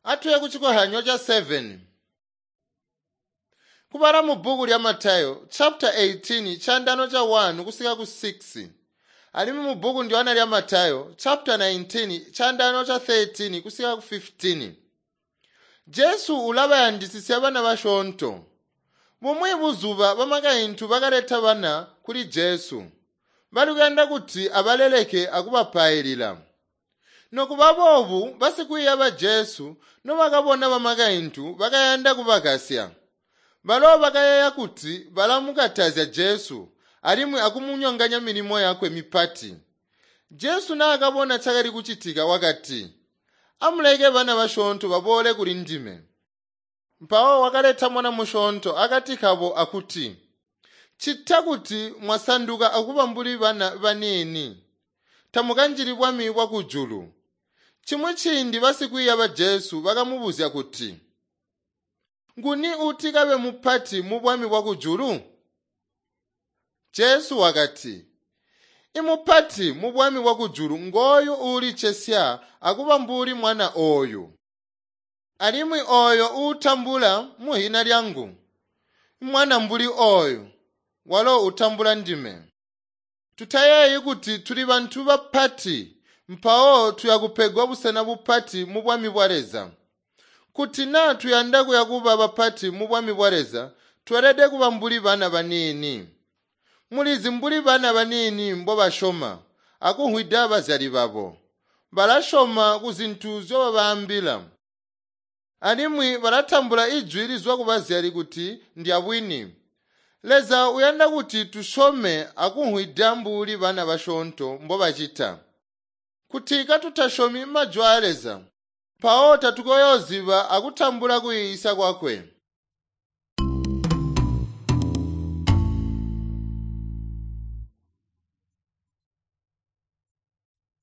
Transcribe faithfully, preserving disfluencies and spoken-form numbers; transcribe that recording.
Atuye ku chikohyanyo cha seven. Kubala mu bbuku lya Matayo chapter eighteen chandano cha one kusika ku six. Alimwi mu bbuku ndiwana lya Matayo chapter nineteen chandano cha thirteen kusika ku fifteen. Jesu ulabayandisisya bana basyoonto. Bumwi buzuba bamakaintu bakaleta bana kuli Jesu. Bali kuyanda kuti abaleleke akubapailila. Nokuba boobu basikwiiya ba Jesu nobakabona bamakaintu bakayanda kubakasya. Balo bakayeeya kuti balamukatazya Jesu alimwi akumunyonganya milimo yakwe mipati. Jesu naakabona cakali kucitika wakati, "Amuleke bana basyoonto baboole kuli ndime." Mpawo wakaleta mwana musyoonto akati kabo akuti, "Ccita kuti mwasanduka akuba mbuli bana baniini, tamukanjili bwami bwakujulu." Chimwi ciindi basikwiiya ba Jesu bakamubuzya kuti, "Nguni uti kabe mupati mu bwami bwakujulu?" Jesu wakati, "Imupati mu bwami bwakujulu ngooyu uulicesya akuba mbuli mwana ooyu. Alimwi ooyo uutambula muhina lyangu, mwana mbuli ooyu, walo utambula ndime." Tutayeeyi kuti tuli bantu bapati mpawo tuyakupegwa busena bupati mu bwami bwa Leza. Kuti naa tuyanda kuya kuba bapati mu bwami bwa Leza, tweelede kuba mbuli bana baniini. Mulizi mbuli bana baniini mbobasyoma akumvwida bazyali babo. Balasyoma kuzintu nzyobabaambila. Alimwi balatambula ijwi lizwa kubazyali kuti ndyabwini. Leza uyanda kuti tusyome akumvwida mbuli bana basyoonto mbobacita. Kuti katutasyomi majwi aa Leza, mpawo tatukoyooziba akutambula kuyiisya kwakwe.